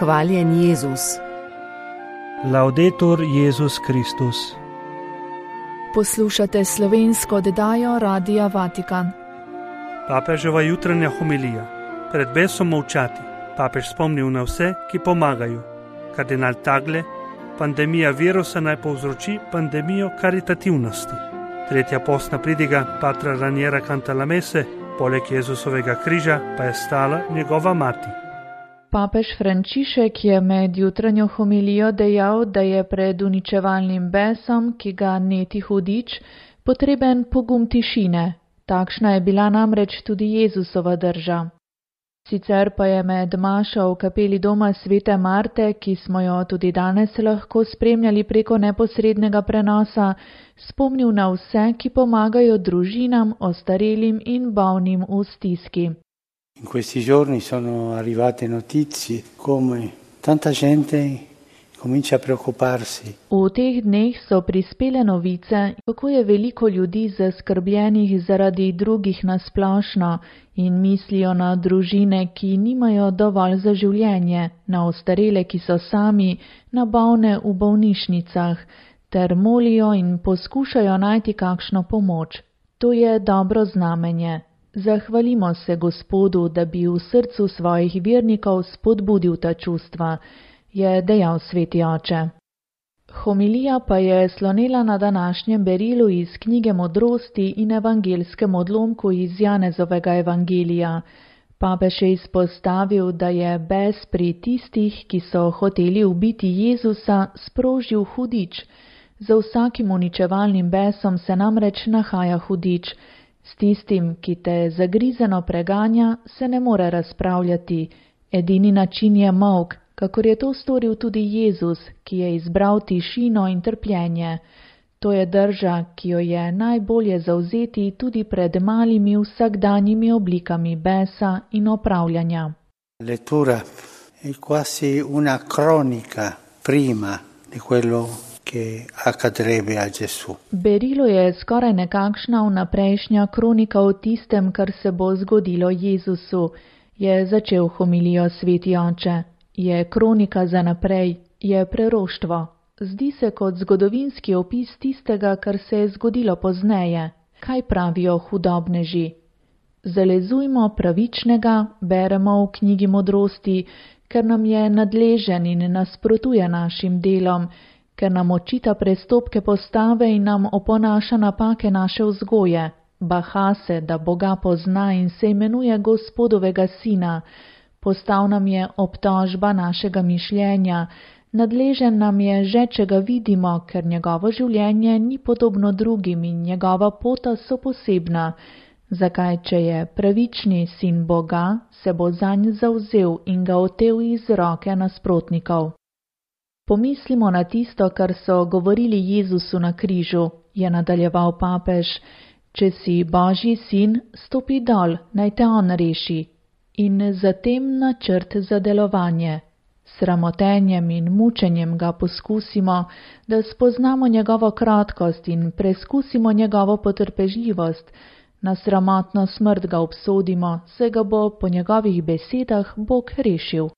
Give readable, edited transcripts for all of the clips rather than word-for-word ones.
Hvaljen Jezus. Laudetur Jezus Kristus. Poslušate slovensko oddajo Radia Vatikan. Papeževa jutranja homilija. Pred besom molčati. Papež spomnil na vse, ki pomagajo. Kardinal Tagle, pandemija virusa naj povzroči pandemijo karitativnosti. Tretja postna pridiga Patra Raniera Cantalamesse, poleg Jezusovega križa pa je stala njegova mati. Papež Frančišek je med jutranjo homilijo dejal, da je pred uničevalnim besom, ki ga neti hudič, potreben pogum tišine. Takšna je bila namreč tudi Jezusova drža. Sicer pa je med mašo v kapeli doma Svete Marte, ki smo jo tudi danes lahko spremljali preko neposrednega prenosa, spomnil na vse, ki pomagajo družinam, ostarelim in bolnim v stiski. In questi giorni sono arrivate notizie come tanta gente comincia a preoccuparsi. V teh dneh so prispele novice, kako je veliko ljudi zaskrbljenih zaradi drugih nasplošno in mislijo na družine, ki nimajo dovolj za življenje, na ostarele, ki so sami, na bolne v bolnišnicah, ter molijo in poskušajo najti kakšno pomoč. To je dobro znamenje. Zahvalimo se Gospodu, da bi v srcu svojih vernikov spodbudil ta čustva, je dejal sveti oče. Homilija pa je slonela na današnjem berilu iz knjige Modrosti in evangelskem odlomku iz Janezovega evangelija. Papež je izpostavil, da je bes pri tistih, ki so hoteli ubiti Jezusa, sprožil hudič. Za vsakim uničevalnim besom se namreč nahaja hudič. S tistim, ki te zagrizeno preganja, se ne more razpravljati. Edini način je molk, kakor je to storil tudi Jezus, ki je izbral tišino in trpljenje. To je drža, ki jo je najbolje zavzeti tudi pred malimi vsakdanjimi oblikami besa in opravljanja. Lettura è quasi una cronica prima di quello che accadrebbe a Gesù. Berilo je skoraj nekakšna vnaprejšnja kronika o tistem, kar se bo zgodilo Jezusu, je začel homilijo sveti oče. Je kronika za naprej, je preroštvo. Zdi se kot zgodovinski opis tistega, kar se je zgodilo pozneje. Kaj pravijo hudobneži? Zalezujmo pravičnega, beremo v knjigi Modrosti, ker nam je nadležen in nasprotuje našim delom, ker nam očita prestopke postave in nam oponaša napake naše vzgoje. Baha se, da Boga pozna in se imenuje Gospodovega sina. Postal nam je obtožba našega mišljenja, nadležen nam je že, če ga vidimo, ker njegovo življenje ni podobno drugim in njegova pota so posebna. Zakaj, če je pravični sin Boga, se bo zanj zavzel in ga otel iz roke nasprotnikov. Pomislimo na tisto, kar so govorili Jezusu na križu, je nadaljeval papež. Če si Božji sin, stopi dol, naj te on reši. In zatem načrt za delovanje. Sramotenjem in mučenjem ga poskusimo, da spoznamo njegovo krotkost in preskusimo njegovo potrpežljivost. Na sramotno smrt ga obsodimo, saj ga bo po njegovih besedah Bog rešil.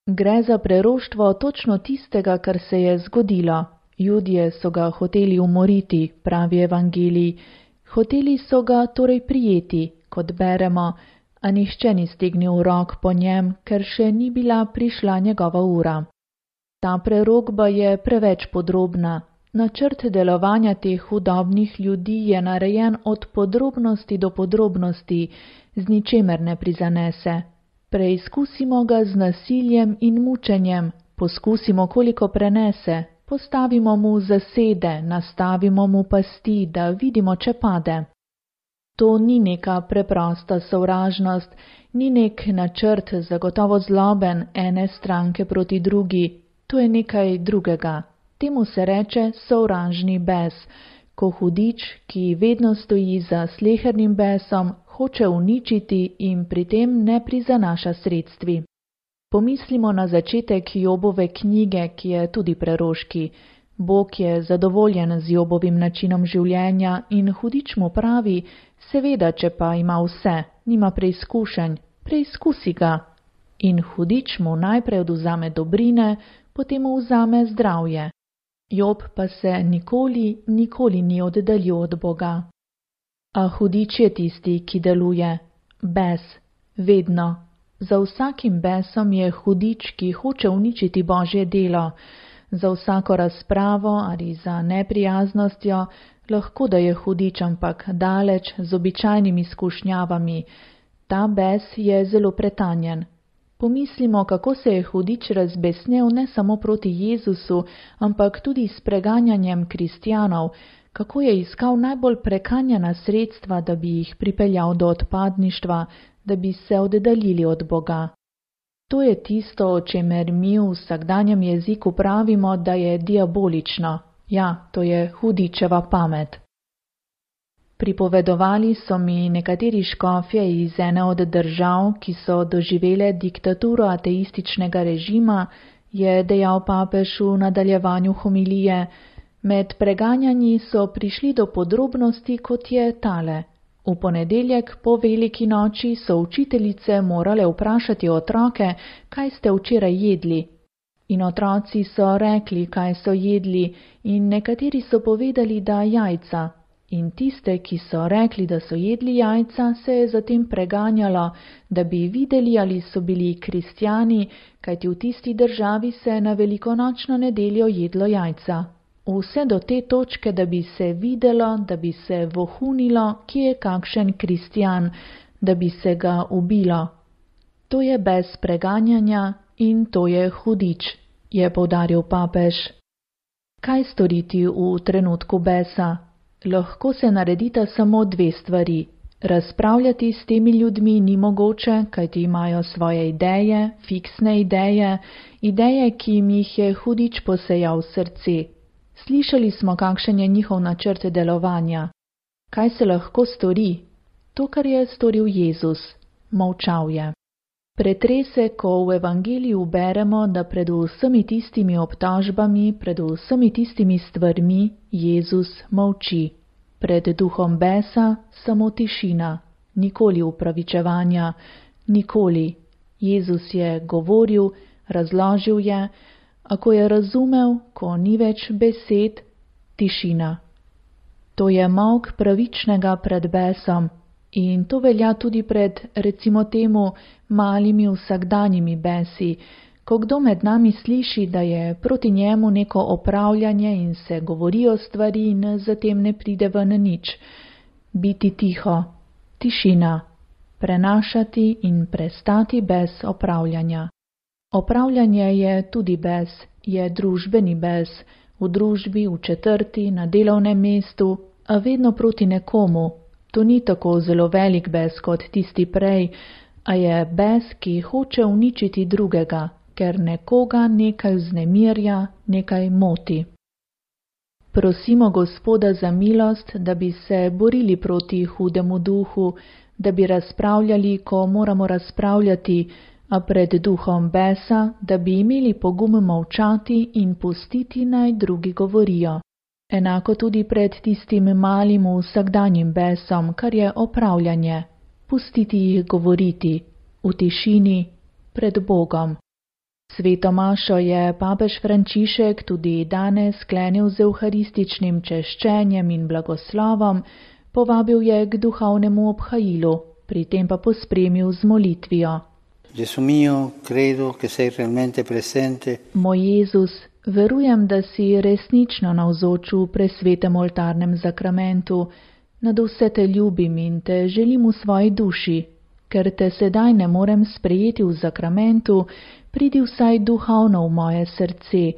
Gre za preroštvo točno tistega, kar se je zgodilo. Judje so ga hoteli umoriti, pravi evangelij. Hoteli so ga torej prijeti, kot beremo, a nihče ni stegnil rok po njem, ker še ni bila prišla njegova ura. Ta prerokba je preveč podrobna. Načrt delovanja teh hudobnih ljudi je narejen od podrobnosti do podrobnosti, z ničemer ne prizanese. Preizkusimo ga z nasiljem in mučenjem, poskusimo, koliko prenese, postavimo mu zasede, nastavimo mu pasti, da vidimo, če pade. To ni neka preprosta sovražnost, ni nek načrt zagotovo zloben ene stranke proti drugi, to je nekaj drugega. Temu se reče sovražni bes, ko hudič, ki vedno stoji za slehernim besom, hoče uničiti in pri tem ne prizanaša sredstvi. Pomislimo na začetek Jobove knjige, ki je tudi preroški. Bog je zadovoljen z Jobovim načinom življenja in hudič mu pravi, seveda, če pa ima vse, nima preizkušenj, preizkusi ga. In hudič mu najprej odvzame dobrine, potem mu vzame zdravje. Job pa se nikoli ni oddaljil od Boga. A hudič je tisti, ki deluje. Bes. Vedno. Za vsakim besom je hudič, ki hoče uničiti Božje delo. Za vsako razpravo ali za neprijaznostjo lahko da je hudič, ampak daleč z običajnimi skušnjavami. Ta bes je zelo pretanjen. Pomislimo, kako se je hudič razbesnel ne samo proti Jezusu, ampak tudi s preganjanjem kristjanov, kako je iskal najbolj prekanjena sredstva, da bi jih pripeljal do odpadništva, da bi se oddaljili od Boga. To je tisto, o čemer mi v vsakdanjem jeziku pravimo, da je diabolično. Ja, to je hudičeva pamet. Pripovedovali so mi nekateri škofje iz ene od držav, ki so doživele diktaturo ateističnega režima, je dejal papež v nadaljevanju homilije. Med preganjanji so prišli do podrobnosti, kot je tale. V ponedeljek po veliki noči so učiteljice morale vprašati otroke, kaj ste včeraj jedli. In otroci so rekli, kaj so jedli, in nekateri so povedali, da jajca. In tiste, ki so rekli, da so jedli jajca, se je zatem preganjalo, da bi videli, ali so bili kristjani, kajti v tisti državi se na velikonočno nedeljo jedlo jajca. Vse do te točke, da bi se videlo, da bi se vohunilo, kje je kakšen kristjan, da bi se ga ubilo. To je bes preganjanja in to je hudič, je poudaril papež. Kaj storiti v trenutku besa? Lahko se naredita samo dve stvari. Razpravljati s temi ljudmi ni mogoče, kajti imajo svoje ideje, fiksne ideje, ki jim jih je hudič posejal v srce. Slišali smo, kakšen je njihov načrt delovanja. Kaj se lahko stori? To, kar je storil Jezus. Molčal je. Pretrese, ko v evangeliju beremo, da pred vsemi tistimi obtožbami, pred vsemi tistimi stvarmi Jezus molči. Pred duhom besa samo tišina, nikoli upravičevanja, nikoli. Jezus je govoril, razložil je, a ko je razumel, ko ni več besed, tišina. To je molk pravičnega pred besom in to velja tudi pred, recimo temu, malimi vsakdanjimi besi, ko kdo med nami sliši, da je proti njemu neko opravljanje in se govorijo stvari in zatem ne pride ven nič. Biti tiho, tišina, prenašati in prestati bes opravljanja. Opravljanje je tudi bes, je družbeni bes, v družbi, v četrti, na delovnem mestu, a vedno proti nekomu. To ni tako zelo velik bes kot tisti prej, a je bes, ki hoče uničiti drugega, ker nekoga nekaj vznemirja, nekaj moti. Prosimo Gospoda za milost, da bi se borili proti hudemu duhu, da bi razpravljali, ko moramo razpravljati, a pred duhom besa, da bi imeli pogum molčati in pustiti, naj drugi govorijo. Enako tudi pred tistim malim vsakdanjim besom, kar je opravljanje. Pustiti jih govoriti, v tišini, pred Bogom. Sveto mašo je papež Frančišek tudi danes sklenil z evharističnim češčenjem in blagoslovom, povabil je k duhovnemu obhajilu, pri tem pa pospremil z molitvijo. Gesù mio, credo che sei realmente presente. Moj Jezus, verujem, da si resnično navzoč v presvetem oltarnem zakramentu. Nad vse te ljubim in te želim v svoji duši. Ker te sedaj ne morem sprejeti v zakramentu, pridi vsaj duhovno v moje srce.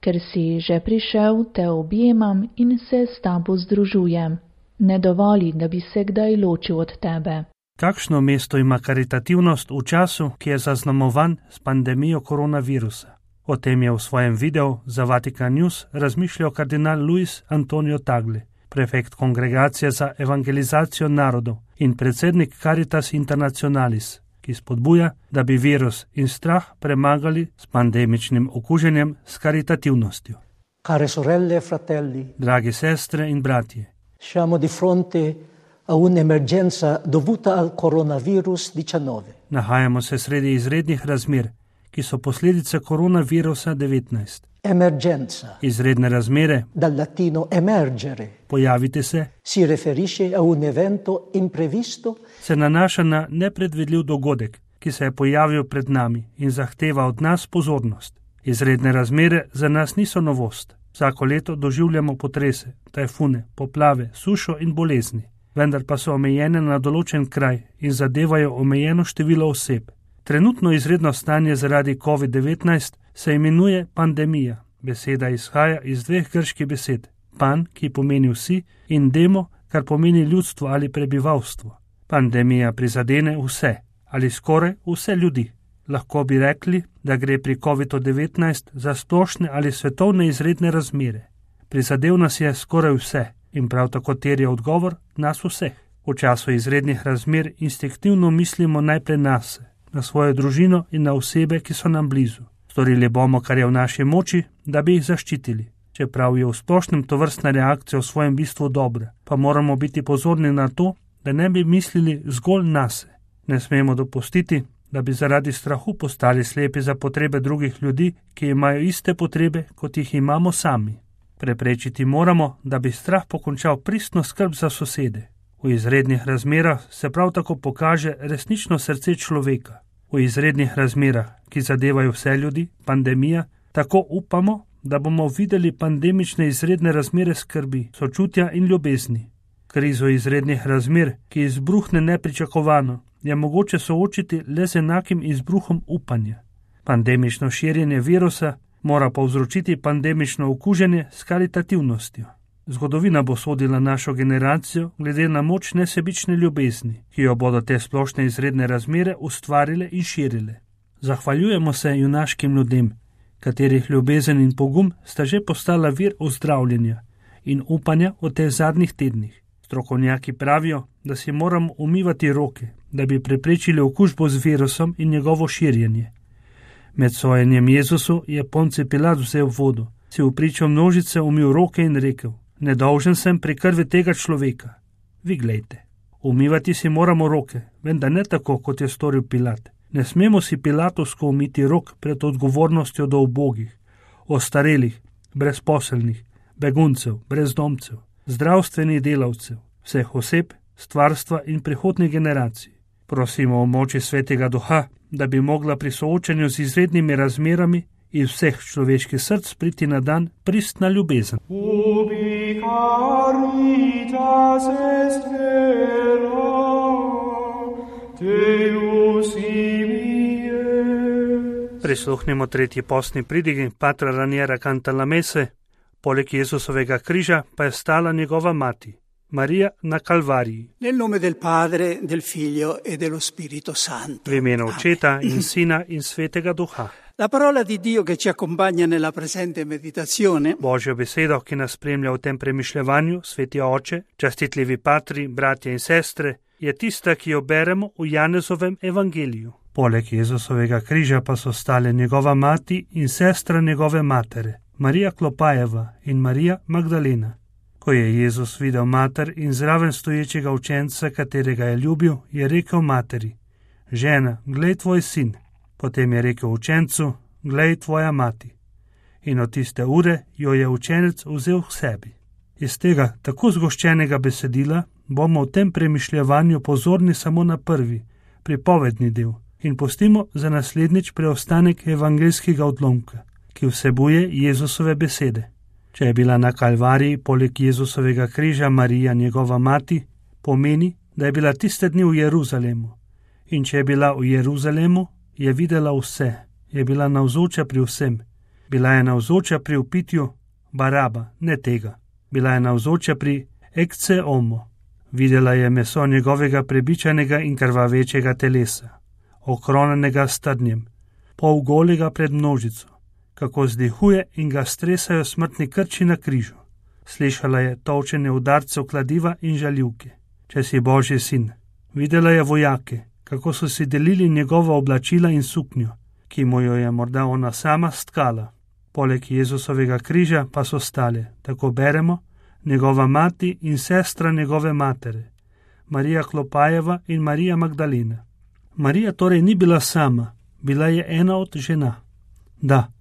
Ker si že prišel, te objemam in se s tabo združujem. Ne dovoli, da bi se kdaj ločil od tebe. Kakšno mesto ima karitativnost v času, ki je zaznamovan s pandemijo koronavirusa? O tem je v svojem videu za Vatikan News razmišljal kardinal Luis Antonio Tagle, prefekt Kongregacije za evangelizacijo narodov in predsednik Caritas Internationalis, ki spodbuja, da bi virus in strah premagali s pandemičnim okuženjem s karitativnostjo. Care sorelle e fratelli, Dragi sestre in bratje, siamo di fronte a un'emergenza dovuta al coronavirus 19. Nahajamo se sredi izrednih razmer, ki so posledice koronavirusa 19. Emergenza, Izredne razmere, dal latino emergere, pojavite se, si riferisce a un evento imprevisto se nanaša na nepredvidljiv dogodek, ki se je pojavil pred nami in zahteva od nas pozornost. Izredne razmere za nas niso novost. Vsako leto doživljamo potrese, tajfune, poplave, sušo in bolezni, vendar pa so omejene na določen kraj in zadevajo omejeno število oseb. Trenutno izredno stanje zaradi COVID-19 se imenuje pandemija. Beseda izhaja iz dveh grških besed. Pan, ki pomeni vsi, in demo, kar pomeni ljudstvo ali prebivalstvo. Pandemija prizadene vse ali skoraj vse ljudi. Lahko bi rekli, da gre pri COVID-19 za splošne ali svetovne izredne razmere. Prizadel nas je skoraj vse in prav tako terja odgovor nas vseh. V času izrednih razmer instinktivno mislimo najprej nase, na svojo družino in na osebe, ki so nam blizu. Storili bomo, kar je v naši moči, da bi jih zaščitili. Čeprav je v splošnem tovrstna reakcija v svojem bistvu dobra, pa moramo biti pozorni na to, da ne bi mislili zgolj nase. Ne smemo dopustiti, da bi zaradi strahu postali slepi za potrebe drugih ljudi, ki imajo iste potrebe, kot jih imamo sami. Preprečiti moramo, da bi strah pokončal pristno skrb za sosede. V izrednih razmerah se prav tako pokaže resnično srce človeka. V izrednih razmerah, ki zadevajo vse ljudi, pandemija, tako upamo, da bomo videli pandemične izredne razmere skrbi, sočutja in ljubezni. Krizo izrednih razmer, ki izbruhne nepričakovano, je mogoče soočiti le z enakim izbruhom upanja. Pandemično širjenje virusa mora povzročiti pandemično okuženje s karitativnostjo. Zgodovina bo sodila našo generacijo glede na moč nesebične ljubezni, ki jo bodo te splošne izredne razmere ustvarile in širile. Zahvaljujemo se junaškim ljudem, katerih ljubezen in pogum sta že postala vir ozdravljenja in upanja v teh zadnjih tednih. Strokovnjaki pravijo, da si moramo umivati roke, da bi preprečili okužbo z virusom in njegovo širjenje. Med sojenjem Jezusu je Ponci Pilat vzel vodo, si v pričo množice umil roke in rekel: nedolžen sem pri krvi tega človeka. Vi glejte, umivati si moramo roke, vendar ne tako, kot je storil Pilat. Ne smemo si pilatovsko umiti rok pred odgovornostjo do ubogih, ostarelih, brezposelnih, beguncev, brezdomcev, zdravstvenih delavcev, vseh oseb, stvarstva in prihodnjih generacij. Prosimo o moči Svetega Duha, da bi mogla pri soočanju z izrednimi razmerami iz vseh človeških src priti na dan pristna ljubezen. Ubi caritas est vera, Deus imie. Prisluhnimo tretji postni pridigi Patra Raniera Cantalamesse. Poleg Jezusovega križa pa je stala njegova mati, Marija na Kalvariji. Nel nome del Padre, del Figlio e dello Spirito Santo. V imenu Očeta in Sina in Svetega Duha. La parola di Dio che ci accompagna nella presente meditazione Božjo besedo, ki nas spremlja v tem premišljevanju, Sveti Oče, častitljivi patri, bratje in sestre, je tista, ki jo beremo v Janezovem evangeliju. Poleg Jezusovega križa pa so stale njegova mati in sestra njegove matere, Marija Klopajeva in Marija Magdalena. Ko je Jezus videl mater in zraven stoječega učenca, katerega je ljubil, je rekel materi: žena, glej tvoj sin. Potem je rekel učencu: glej tvoja mati. In od tiste ure jo je učenec vzel k sebi. Iz tega tako zgoščenega besedila bomo v tem premišljevanju pozorni samo na prvi, pripovedni del, in pustimo za naslednjič preostanek evangeljskega odlomka, ki vsebuje Jezusove besede. Če je bila na Kalvariji poleg Jezusovega križa Marija njegova mati, pomeni, da je bila tiste dni v Jeruzalemu. In če je bila v Jeruzalemu, je videla vse, je bila navzoča pri vsem. Bila je navzoča pri upitju Baraba, ne tega. Bila je navzoča pri Ecce Homo. Videla je meso njegovega prebičanega in krvavečega telesa, okronanega s trnjem, pol golega pred množico, kako zdihuje in ga stresajo smrtni krči na križu. Slišala je tolčenje udarcev kladiva in žaljivke. Če si Božji sin. Videla je vojake, kako so si delili njegova oblačila in suknjo, ki mu jo je morda ona sama stkala. Poleg Jezusovega križa pa so stale, tako beremo, njegova mati in sestra njegove matere, Marija Klopajeva in Marija Magdalena. Marija torej ni bila sama, bila je ena od žena. Da,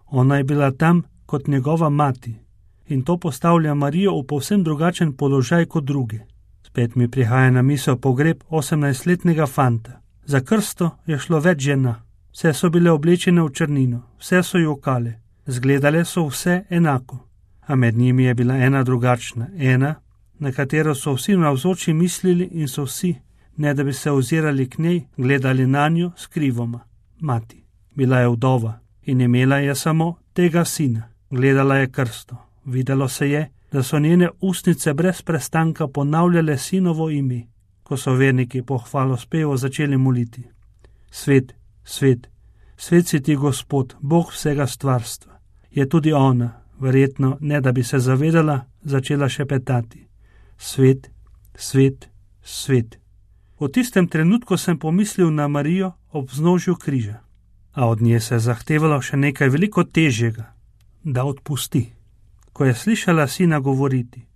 ona je bila tam kot njegova mati in to postavlja Marijo v povsem drugačen položaj kot druge. Spet mi prihaja na misel pogreb 18-letnega fanta. Za krsto je šlo več žena. Vse so bile oblečene v črnino, vse so jokale, zgledale so vse enako. A med njimi je bila ena drugačna, ena, na katero so vsi navzoči mislili in so vsi, ne da bi se ozirali k njej, gledali na njo skrivoma. Mati. Bila je vdova in imela je samo tega sina. Gledala je krsto. Videlo se je, da so njene ustnice brez prestanka ponavljale sinovo ime, ko so verniki po hvalospevu začeli moliti. Svet, svet, svet si ti Gospod, Bog vsega stvarstva. Je tudi ona, verjetno ne da bi se zavedala, začela šepetati. Svet, svet, svet. V tistem trenutku sem pomislil na Marijo ob vznožju križa, a od nje se je zahtevalo še nekaj veliko težjega, da odpusti. Ko je slišala sina govoriti,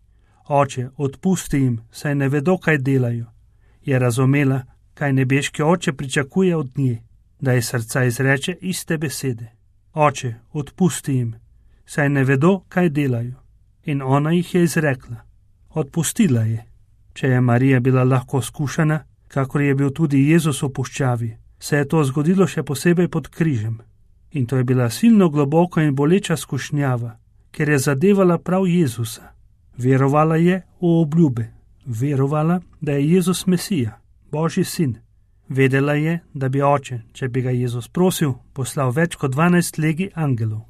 oče, odpusti jim, saj ne vedo, kaj delajo, je razumela, kaj nebeški oče pričakuje od nje, da iz srca izreče iste besede. Oče, odpusti jim, saj ne vedo, kaj delajo. In ona jih je izrekla. Odpustila je. Če je Marija bila lahko skušana, kakor je bil tudi Jezus v puščavi, se je to zgodilo še posebej pod križem. In to je bila silno globoko in boleča skušnjava, ker je zadevala prav Jezusa. Verovala je v obljube, verovala, da je Jezus Mesija, Božji sin. Vedela je, da bi oče, če bi ga Jezus prosil, poslal več kot 12 legij angelov.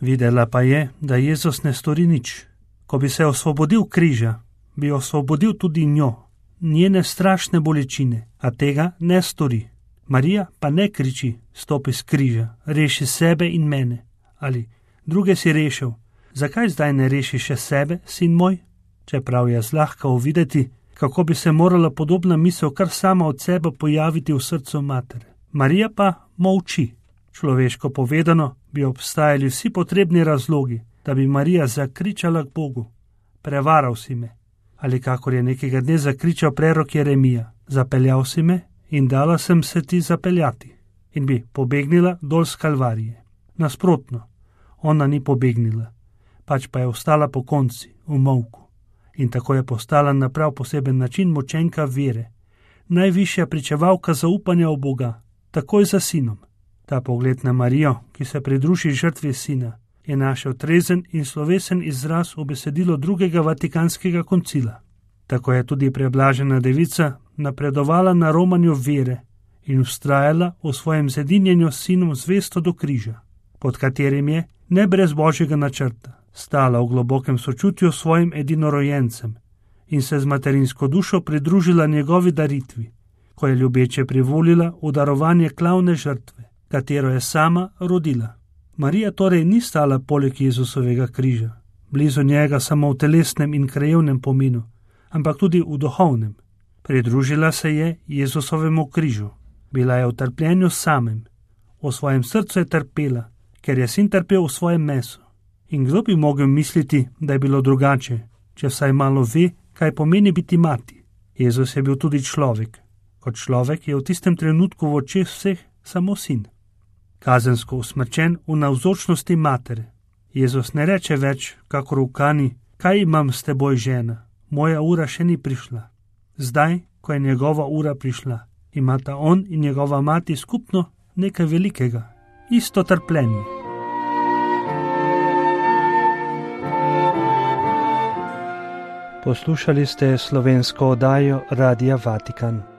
Videla pa je, da Jezus ne stori nič. Ko bi se osvobodil križa, bi osvobodil tudi njo, njene strašne bolečine, a tega ne stori. Marija pa ne kriči, stopi s križa, reši sebe in mene. Ali druge si rešil, zakaj zdaj ne reši še sebe, sin moj? Čeprav je zlahka uvideti, kako bi se morala podobna misel kar sama od sebe pojaviti v srcu matere. Marija pa molči. Človeško povedano bi obstajali vsi potrebni razlogi, da bi Marija zakričala k Bogu. Prevaral si me. Ali kakor je nekega dne zakričal prerok Jeremija. Zapeljal si me in dala sem se ti zapeljati. In bi pobegnila dol z Kalvarije. Nasprotno, ona ni pobegnila, pač pa je ostala po konci, v molku. In tako je postala na prav poseben način močenka vere, najvišja pričevalka zaupanja v Boga, takoj za sinom. Ta pogled na Marijo, ki se pridruži žrtvi sina, je našel trezen in slovesen izraz v besedilo drugega Vatikanskega koncila. Tako je tudi preblažena devica napredovala na romanju vere in vztrajala v svojem zedinjenju s sinom zvesto do križa, pod katerim je, ne brez Božjega načrta, stala v globokem sočutju s svojim edinorojencem in se z materinsko dušo pridružila njegovi daritvi, ko je ljubeče privolila v darovanje klavne žrtve, katero je sama rodila. Marija torej ni stala poleg Jezusovega križa, blizu njega samo v telesnem in krajevnem pomenu, ampak tudi v duhovnem. Pridružila se je Jezusovemu križu, bila je v trpljenju samem, v svojem srcu je trpela, ker je sin trpel v svojem mesu. In kdo bi mogel misliti, da je bilo drugače, če vsaj malo ve, kaj pomeni biti mati. Jezus je bil tudi človek. Kot človek je v tistem trenutku v očeh vseh samo sin. Kazensko usmrčen v navzočnosti matere. Jezus ne reče več, kakor v Kani, kaj imam s teboj, žena, moja ura še ni prišla. Zdaj, ko je njegova ura prišla, imata on in njegova mati skupno nekaj velikega, isto trpljenje. Poslušali ste slovensko oddajo Radia Vatikan.